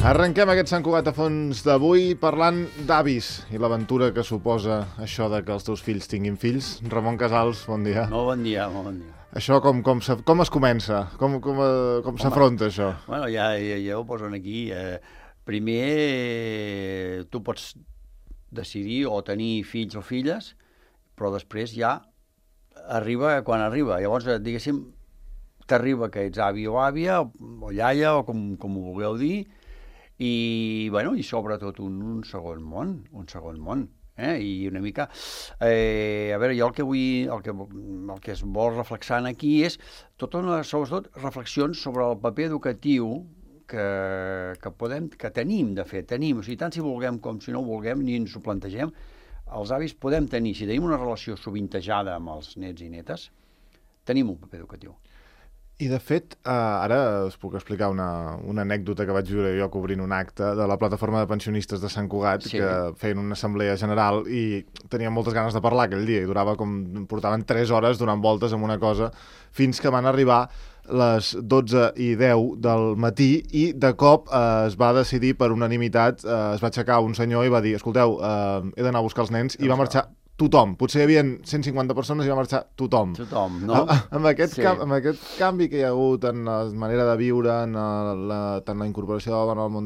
Arrenquem aquest Sant Cugat a fons d'avui parlant d'avis i l'aventura que suposa això de que els teus fills tinguin fills. Ramon Casals, bon dia. Molt bon dia, molt bon dia. Això com es comença? Com s'afronta això? Bueno, ja ho posen aquí. Primer, tu pots decidir o tenir fills o filles, però després ja arriba quan arriba. Llavors, diguéssim, t'arriba que ets avi o àvia, o iaia, o com ho vulgueu dir, i sobretot un segon món, i una mica, a veure, jo el que es vol reflexar aquí és sobretot reflexions sobre el paper educatiu que tenim, de fet, o sigui, tant si vulguem com si no ho vulguem, ni ens ho plantegem, els avis podem tenir, si tenim una relació sovintejada amb els nets i netes, tenim un paper educatiu. I, de fet, ara us puc explicar una anècdota que vaig viure jo cobrint un acte de la plataforma de pensionistes de Sant Cugat, sí, que feien una assemblea general i tenien moltes ganes de parlar aquell dia, i portaven 3 hores donant voltes amb una cosa, fins que van arribar les 12:10 del matí i de cop es va decidir per unanimitat, es va aixecar un senyor i va dir: escolteu, he d'anar a buscar els nens, i va marxar tothom. Potser hi havia 150 persones i va marxar tothom. Tothom, no? Amb aquest canvi que hi ha hagut en la manera de viure, en tant la incorporació de la dona al món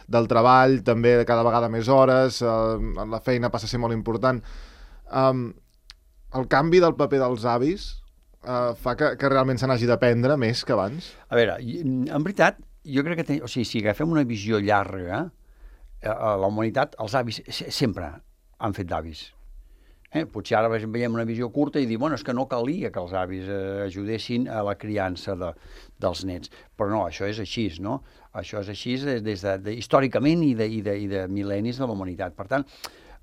del treball, també cada vegada més hores, la feina passa a ser molt important. El canvi del paper dels avis fa que realment se n'hagi d'aprendre més que abans? A veure, en veritat, jo crec que si agafem una visió llarga, a la humanitat, els avis sempre han fet d'avis. Potser ara veiem una visió curta i dir, és que no calia que els avis ajudessin a la criança dels nets. Però no, això és així, no? Això és així històricament i de mil·lennis de la humanitat. Per tant,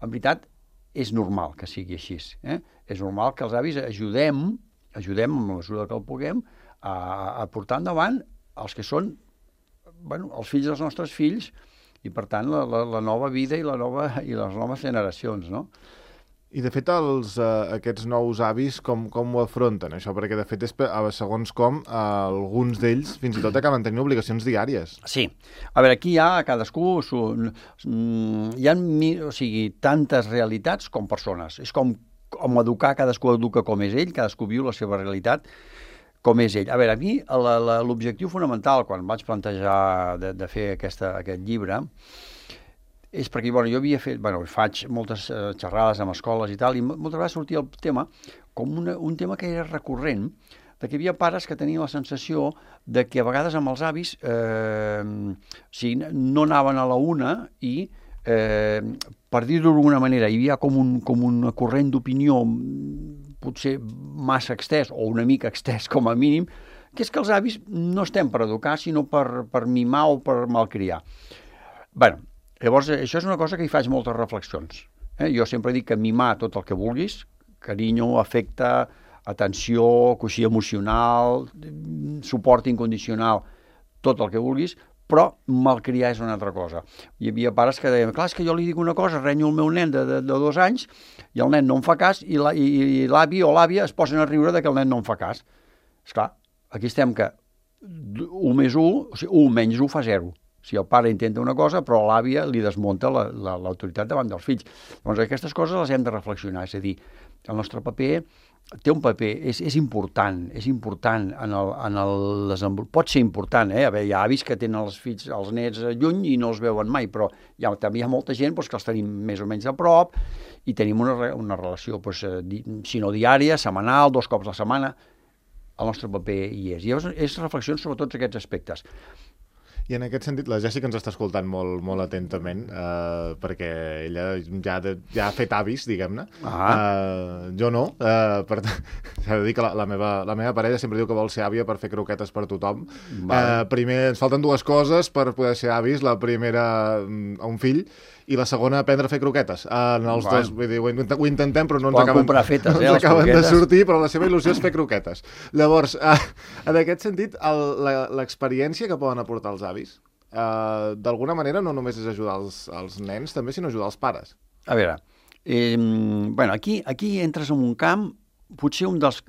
en veritat, és normal que sigui així. És normal que els avis ajudem en la mesura que el puguem a portar endavant els que són els fills dels nostres fills, i, per tant, la nova vida i les noves generacions, no? I, de fet, aquests nous avis, com ho afronten, això? Perquè, de fet, segons com, alguns d'ells fins i tot acaben tenint obligacions diàries. Sí. A veure, aquí hi ha cadascú... Hi ha, tantes realitats com persones. És com educar, cadascú educa com és ell, cadascú viu la seva realitat com és ell. A veure, a mi l'objectiu fonamental quan vaig plantejar de fer aquest llibre és perquè jo havia fet, faig moltes xerrades amb escoles i tal, i moltes vegades sortia el tema com un tema que era recurrent, de que hi havia pares que tenien la sensació de que a vegades amb els avis no anaven a la una i, per dir-ho d'alguna manera, hi havia com un corrent d'opinió potser massa extès, o una mica extès com a mínim, que és que els avis no estem per educar, sinó per mimar o per malcriar. Llavors, això és una cosa que hi faig moltes reflexions. Jo sempre dic que mimar tot el que vulguis, carinyo, afecte, atenció, coixí emocional, suport incondicional, tot el que vulguis, però malcriar és una altra cosa. Hi havia pares que deien, clar, és que jo li dic una cosa, renyo el meu nen de 2 anys, i el nen no em fa cas, i l'avi o l'àvia es posen a riure que el nen no em fa cas. Esclar, aquí estem que 1 més 1, o sigui, 1 menys 1 fa 0. Si el pare intenta una cosa, però l'àvia li desmunta l'autoritat davant dels fills. Llavors, aquestes coses les hem de reflexionar, és a dir, el nostre paper té un paper, és important en el desenvolupament. Pot ser important, A veure, hi ha avis que tenen els nets lluny i no els veuen mai, però també hi ha molta gent que els tenim més o menys a prop i tenim una relació, si no diària, setmanal, 2 cops a la setmana. El nostre paper hi és. I és reflexions sobre tots aquests aspectes. I en aquest sentit, la Jèssica ens està escoltant molt, molt atentament, perquè ella ja ha fet avis, diguem-ne. Jo no. S'ha de dir que la meva parella sempre diu que vol ser àvia per fer croquetes per tothom. Primer, ens falten 2 coses per poder ser avis. La primera, a un fill, i la segona, aprendre a fer croquetes. Els dos, vull dir, ho intentem, però no ens acaben de sortir, però la seva il·lusió és fer croquetes. Llavors, en aquest sentit, l'experiència que poden aportar els avis, d'alguna manera no només és ajudar els nens, també, sinó ajudar els pares. A veure, aquí entres en un camp, potser un dels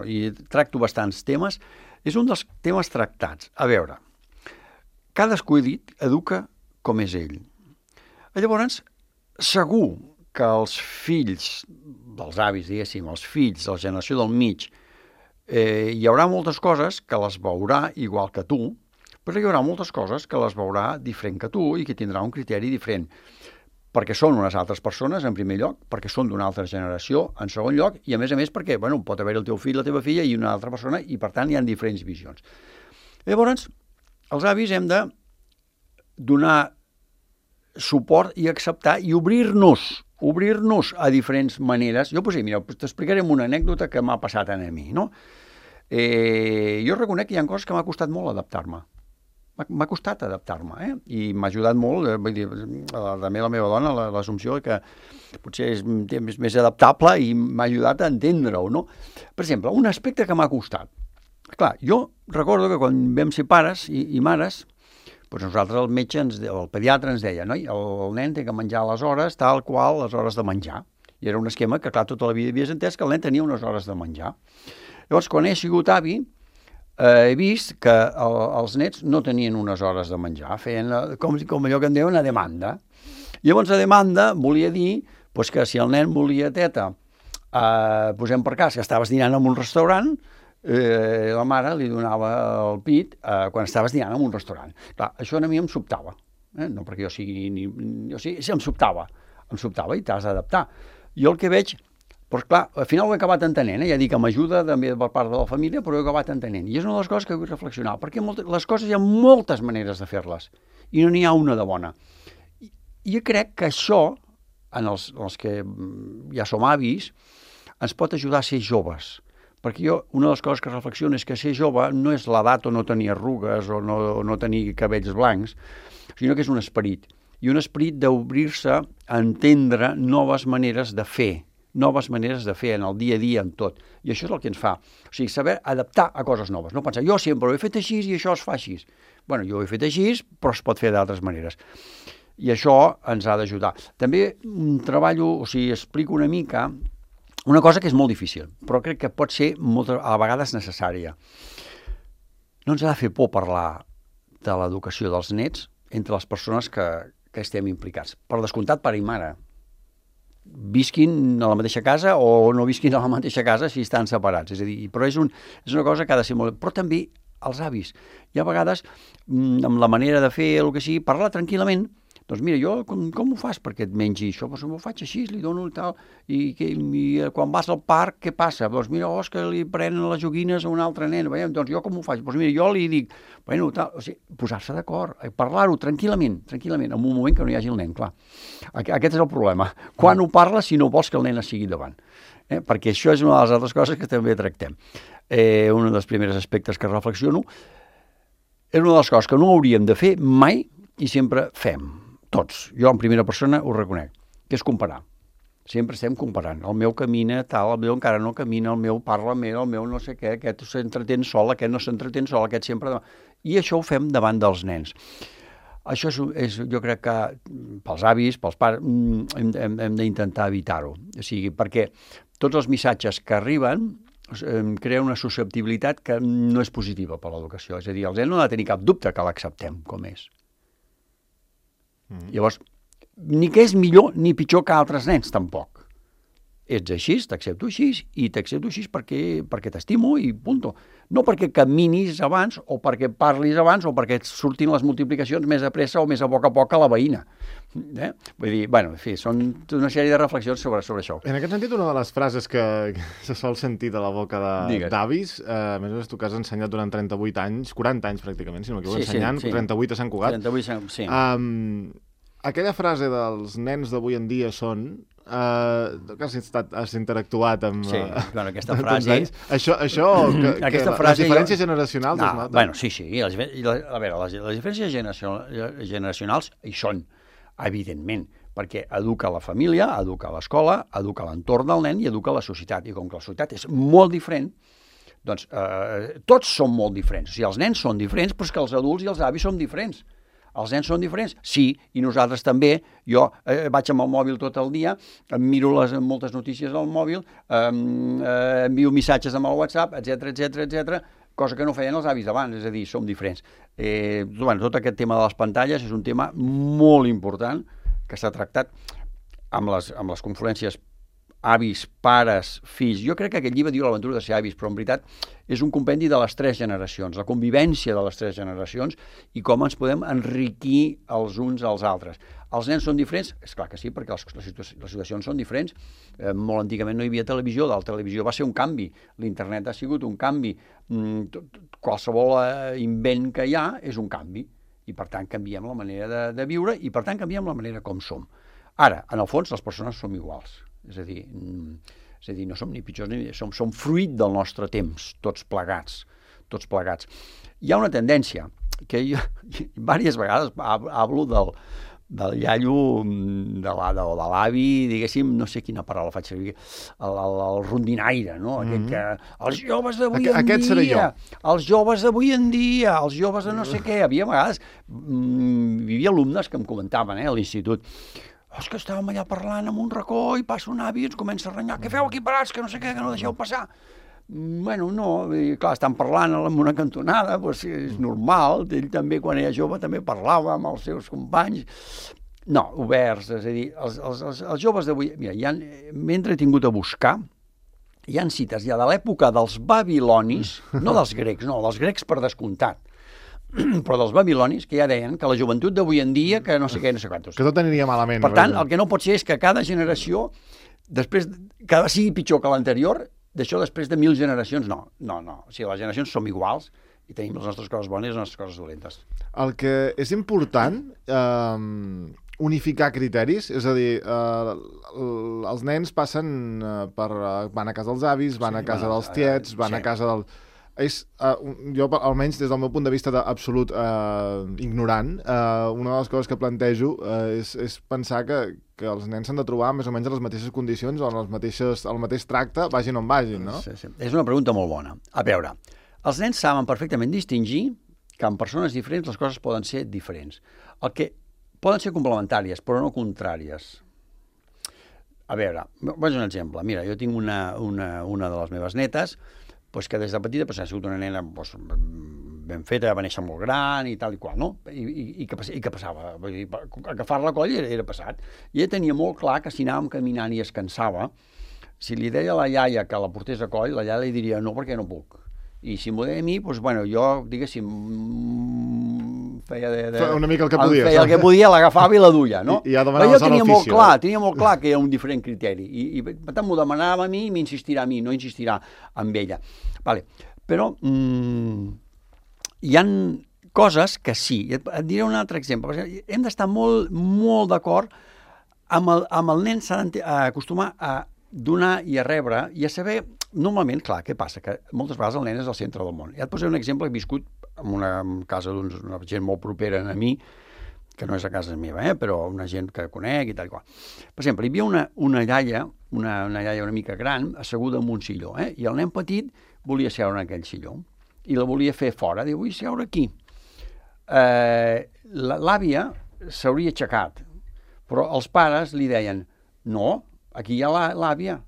i tracto bastants temes, és un dels temes tractats. A veure, cadascú, he dit, educa com és ell. Llavors, segur que els fills dels avis, diguéssim, els fills de la generació del mig, hi haurà moltes coses que les veurà igual que tu, però hi haurà moltes coses que les veurà diferent que tu i que tindrà un criteri diferent. Perquè són unes altres persones, en primer lloc, perquè són d'una altra generació, en segon lloc, i a més perquè pot haver el teu fill, la teva filla i una altra persona, i per tant hi ha diferents visions. Llavors, els avis hem de donar suport i acceptar i obrir-nos a diferents maneres. Jo, mira, t'explicaré una anècdota que m'ha passat a mi, no? Jo reconec que hi ha coses que m'ha costat molt adaptar-me. M'ha costat adaptar-me, i m'ha ajudat molt, vull dir, també la meva dona, l'assumpció que potser és més adaptable i m'ha ajudat a entendre-ho, no? Per exemple, un aspecte que m'ha costat. Clar, jo recordo que quan vam ser pares i mares, doncs nosaltres el metge, el pediatre ens deia, noi, el nen té que menjar a les hores, tal qual, les hores de menjar. I era un esquema que, clar, tota la vida havies entès que el nen tenia unes hores de menjar. Llavors, quan he sigut avi, he vist que els nets no tenien unes hores de menjar, feien com allò que en diuen una demanda. Llavors, la demanda volia dir que si el nen volia teta, posem per cas que estaves dinant en un restaurant, la mare li donava el pit quan estaves dinant en un restaurant. Clar, això a mi em sobtava, no perquè jo sigui em sobtava i t'has d'adaptar. Jo el que veig, doncs clar, al final ho he acabat entenent, ja dic que m'ajuda també per part de la família, però ho he acabat entenent. I és una de les coses que vull reflexionar, perquè les coses hi ha moltes maneres de fer-les, i no n'hi ha una de bona. I jo crec que això, en els que ja som avis, ens pot ajudar a ser joves. Perquè jo, una de les coses que reflexiono és que ser jove no és l'edat o no tenir arrugues o no tenir cabells blancs, sinó que és un esperit. I un esperit d'obrir-se a entendre noves maneres de fer en el dia a dia, en tot. I això és el que ens fa. O sigui, saber adaptar a coses noves. No pensar, jo sempre ho he fet així i això es fa així. Bueno, jo ho he fet així, però es pot fer d'altres maneres. I això ens ha d'ajudar. També treballo, explico una mica una cosa que és molt difícil, però crec que pot ser a vegades necessària. No ens ha de fer por parlar de l'educació dels nets entre les persones que estem implicats. Per descomptat, pare i mare. Visquin a la mateixa casa o no visquin a la mateixa casa si estan separats. És a dir, però és una cosa que ha de ser molt... Però també els avis. Hi ha vegades, amb la manera de fer el que sigui, parlar tranquil·lament. Doncs mira, jo com ho fas perquè et mengi això? Doncs m'ho faig així, li dono tal, i quan vas al parc, què passa? Doncs mira, és que li prenen les joguines a un altre nen, doncs jo com ho faig? Doncs mira, jo li dic, posar-se d'acord, parlar-ho tranquil·lament, en un moment que no hi hagi el nen, clar. Aquest és el problema. Quan ho parles si no vols que el nen es sigui davant? Perquè això és una de les altres coses que també tractem. Un dels primers aspectes que reflexiono és una de les coses que no hauríem de fer mai i sempre fem. Tots. Jo en primera persona ho reconec, que és comparar. Sempre estem comparant. El meu camina tal, el meu encara no camina, el meu parla més, el meu no sé què, aquest s'entretén sol, aquest no s'entretén sol, aquest sempre... I això ho fem davant dels nens. Això és jo crec que pels avis, pels pares, hem d'intentar evitar-ho. O sigui, perquè tots els missatges que arriben crea una susceptibilitat que no és positiva per l'educació. És a dir, el nen no ha de tenir cap dubte que l'acceptem com és. Llavors, ni que és millor ni pitjor que altres nens, tampoc. Ets així, t'accepto així, i t'accepto així perquè t'estimo i punto. No perquè caminis abans, o perquè parlis abans, o perquè et surtin les multiplicacions més a pressa o més a poc a la veïna. Vull dir, en fi, són una sèrie de reflexions sobre això. En aquest sentit, una de les frases que se sol sentir de la boca d'avis, a més a més tu que has ensenyat durant 38 anys, 40 anys pràcticament, si no m'equivoco, ensenyant, 38 a Sant Cugat. 38, sí. Aquella frase dels nens d'avui en dia són... que has interactuat amb... Sí, aquesta frase... Això les diferències generacionals es noten? Sí. A veure, les diferències generacionals hi són, evidentment, perquè educa la família, educa l'escola, educa l'entorn del nen i educa la societat. I com que la societat és molt diferent, doncs tots són molt diferents. O sigui, els nens són diferents, però és que els adults i els avis són diferents. Els nens són diferents? Sí, i nosaltres també. Jo vaig amb el mòbil tot el dia, em miro moltes notícies al mòbil, envio missatges amb el WhatsApp, etc. cosa que no feien els avis d'abans, és a dir, som diferents. Tot aquest tema de les pantalles és un tema molt important que s'ha tractat amb les conferències avis, pares, fills. Jo crec que aquest llibre diu l'aventura de ser avis, però en veritat és un compendi de les 3 generacions, la convivència de les 3 generacions i com ens podem enriquir els uns als altres. Els nens són diferents? És clar que sí, perquè les situacions són diferents. Molt antigament no hi havia televisió, la televisió va ser un canvi, l'internet ha sigut un canvi, qualsevol invent que hi ha és un canvi, i per tant canviem la manera de viure i per tant canviem la manera com som. Ara, en el fons, les persones som iguals. És a dir, no som ni pitjors ni som fruit del nostre temps, tots plegats. Hi ha una tendència que jo diverses vegades parlo del iaio, de l'avi, diguéssim, no sé quina paraula faig servir, el rondinaire, no? Aquest que... Els joves d'avui en dia, els joves d'avui en dia, els joves de no sé què. Havia vegades, hi havia alumnes que em comentaven a l'institut, és que estàvem allà parlant en un racó i passa un avi i ens comença a renyar. Què feu aquí parats? Que no sé què, que no deixeu passar. Bueno, no, clar, estan parlant en una cantonada, doncs és normal. Ell també, quan era jove, també parlava amb els seus companys. No, oberts, és a dir, els joves d'avui... Mira, mentre he tingut a buscar, hi ha cites ja de l'època dels babilonis, no dels grecs, no, dels grecs per descomptat, però dels babilonis, que ja deien que la joventut d'avui en dia, que no sé què, no sé quantos. Que tot aniria malament. Per tant, el que no pot ser és que cada generació, després, cada sigui pitjor que l'anterior, d'això després de 1000 generacions, no. O sigui, les generacions som iguals i tenim les nostres coses bones i les nostres coses dolentes. El que és important, unificar criteris, és a dir, els nens passen van a casa dels avis, van a casa dels tiets, van a casa del... jo, almenys des del meu punt de vista d'absolut ignorant, una de les coses que plantejo és pensar que els nens s'han de trobar més o menys en les mateixes condicions o en el mateix tracte, vagin on vagin, no? Sí. És una pregunta molt bona. A veure, els nens saben perfectament distingir que en persones diferents les coses poden ser diferents. El que poden ser complementàries, però no contràries. A veure, vaig un exemple. Mira, jo tinc una de les meves netes que des de petita ha sigut una nena ben feta, va néixer molt gran i tal i qual, no? I què passava? Vull dir, agafar-la a coll era passat. I ella tenia molt clar que si anàvem caminant i es cansava, si li deia a la iaia que la portés a coll, la iaia li diria no, perquè no puc. I si m'ho deia a mi, doncs, bueno, jo, diguéssim, feia una mica el que podia. Feia el que podia, l'agafava i la duia, no? I ja demanava jo tenia molt clar que era un diferent criteri. I per tant, m'ho demanava a mi i m'insistirà a mi, no insistirà amb ella. Vale. Però hi han coses que sí. Et diré un altre exemple. Hem d'estar molt, molt d'acord amb el nen, s'ha d'acostumar a donar i a rebre i a saber, normalment, clar, què passa? Que moltes vegades el nen és el centre del món. Ja et posaré un exemple que he viscut en una casa d'una gent molt propera a mi, que no és a casa meva, però una gent que conec i tal i qual. Per exemple, hi havia una iaia, una iaia una mica gran, asseguda en un silló, i el nen petit volia seure en aquell silló i la volia fer fora, diu, vull seure aquí. L'àvia s'hauria aixecat, però els pares li deien, no, aquí hi ha l'àvia.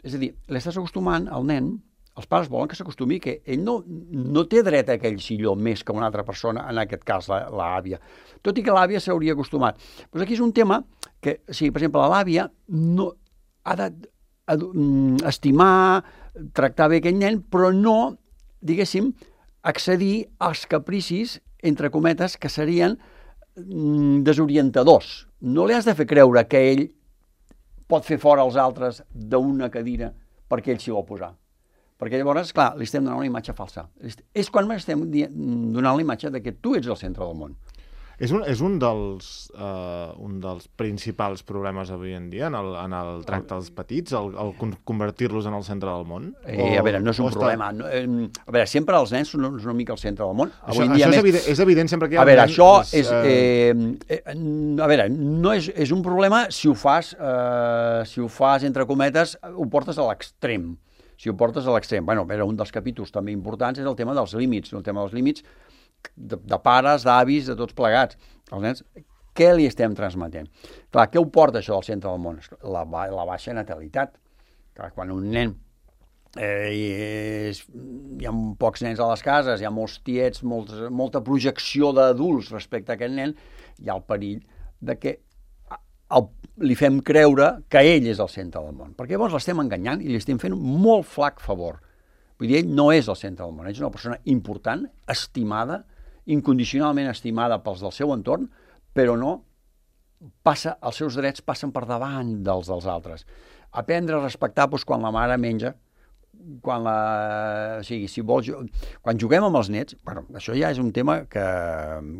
És a dir, l'estàs acostumant al nen, els pares volen que s'acostumi que ell no té dret a aquell silló més que una altra persona, en aquest cas l'àvia. Tot i que l'àvia s'hauria acostumat. Doncs aquí és un tema que, si per exemple l'àvia no ha d'estimar, tractar bé aquell nen, però no, diguéssim, accedir als capricis, entre cometes, que serien desorientadors. No li has de fer creure que ell pot fer fora els altres d'una cadira perquè ell s'hi vol posar. Perquè llavors, clar, li estem donant una imatge falsa. És quan estem donant la imatge de que tu ets el centre del món. És un dels principals problemes avui en dia en el tracte dels petits, el convertir-los en el centre del món? A veure, no és un problema. A veure, sempre els nens són una mica el centre del món. És evident sempre que hi ha... A veure, això és... A veure, no és un problema si ho fas, entre cometes, ho portes a l'extrem. Si ho portes a l'extrem. Bueno, un dels capítols també importants és el tema dels límits. El tema dels límits de pares, d'avis, de tots plegats. Els nens, què li estem transmetent? Clar, què ho porta això del centre del món? La baixa natalitat. Clar, quan un nen hi ha pocs nens a les cases, hi ha molts tiets, molta projecció d'adults respecte a aquest nen, hi ha el perill de que li fem creure que ell és el centre del món, perquè llavors l'estem enganyant i li estem fent un molt flac favor. Vull dir, ell no és el centre del món, ell és una persona important, estimada, incondicionalment estimada pels del seu entorn, però no els seus drets passen per davant dels altres. Aprendre a respectar quan la mare menja, quan juguem amb els nets, bueno, això ja és un tema que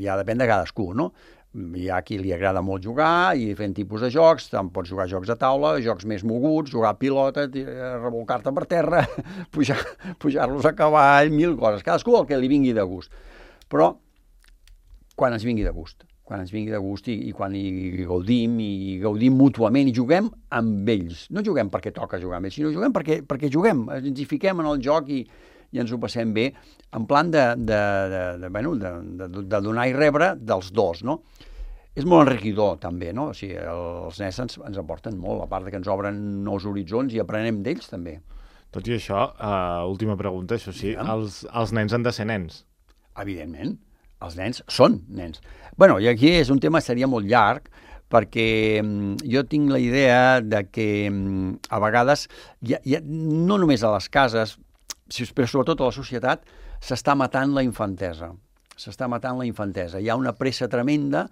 ja depèn de cadascú, no? Hi ha qui li agrada molt jugar i fent tipus de jocs, tant pots jugar jocs de taula, jocs més moguts, jugar a pilota, revolcar-te per terra, pujar-los a cavall, 1000 coses, cadascú el que li vingui de gust. Però quan ens vingui de gust, i quan hi gaudim mútuament i juguem amb ells. No juguem perquè toca jugar amb ells, sinó juguem perquè juguem, ens hi fiquem en el joc i ens ho passem bé, en plan de donar i rebre dels dos, no? És molt enriquidor, també, no? O sigui, els nens ens aporten molt, a part que ens obren nous horitzons i aprenem d'ells, també. Tot i això, última pregunta, això sí, els nens han de ser nens. Evidentment, els nens són nens. Bueno, i aquí és un tema que seria molt llarg, perquè jo tinc la idea de que a vegades, no només a les cases, però sobretot a la societat, s'està matant la infantesa. Hi ha una pressa tremenda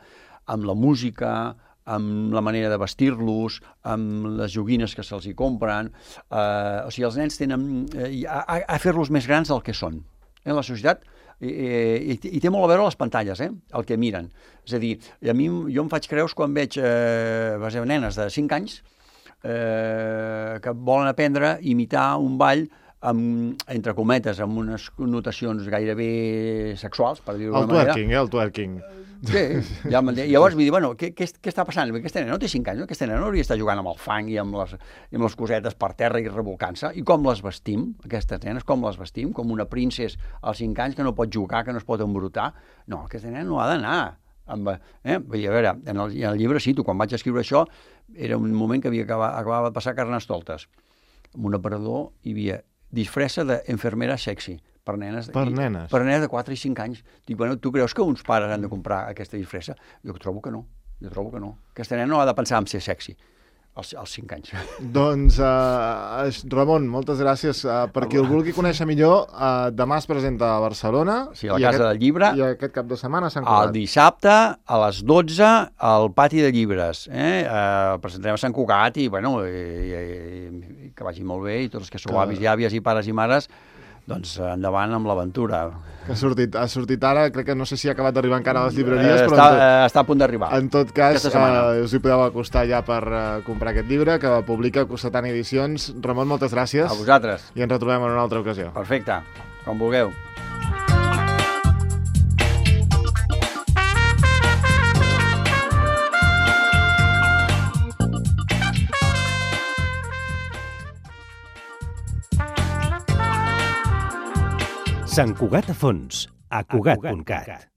amb la música, amb la manera de vestir-los, amb les joguines que se'ls hi compren. O sigui, els nens tenen a fer-los més grans del que són. La societat i té molt a veure les pantalles, el que miren. És a dir, jo em faig creus quan veig nenes de 5 anys que volen aprendre a imitar un ball entre cometes, amb unes connotacions gairebé sexuals, per dir-ho d'una manera. El twerking. Sí, ja llavors vull dir, bueno, què està passant? Aquesta nena no té 5 anys, aquesta nena no hauria d'estar jugant amb el fang i amb les cosetes per terra i revolcant-se. I com les vestim, aquestes nenes, com les vestim? Com una princesa als 5 anys que no pot jugar, que no es pot embrutar? No, aquesta nena no ha d'anar. Vull dir, a veure, en el llibre cito, quan vaig escriure això, era un moment que acabava de passar Carnestoltes. En un aparador hi havia disfressa d'enfermera sexy per nenes de 4 i 5 anys. Dic, bueno, tu creus que uns pares han de comprar aquesta disfressa? Jo trobo que no. Aquesta nena no ha de pensar en ser sexy als 5 anys. Doncs, Ramon, moltes gràcies. Per qui el vulgui conèixer millor, demà es presenta a Barcelona. Sí, a la Casa del Llibre. I aquest cap de setmana a Sant Cugat. El dissabte, a les 12, al Pati de Llibres. El presentarem a Sant Cugat i, bueno, que vagi molt bé, i tots els que sou avis i àvies i pares i mares, doncs endavant amb l'aventura. Ha sortit ara, crec que no sé si ha acabat d'arribar encara a les llibreries, però està a punt d'arribar. En tot cas, us hi podeu acostar ja per comprar aquest llibre, que publica Cossetana Edicions. Ramon, moltes gràcies. A vosaltres. I ens retrobem en una altra ocasió. Perfecte, com vulgueu. Sant Cugat a fons, a Cugat.cat.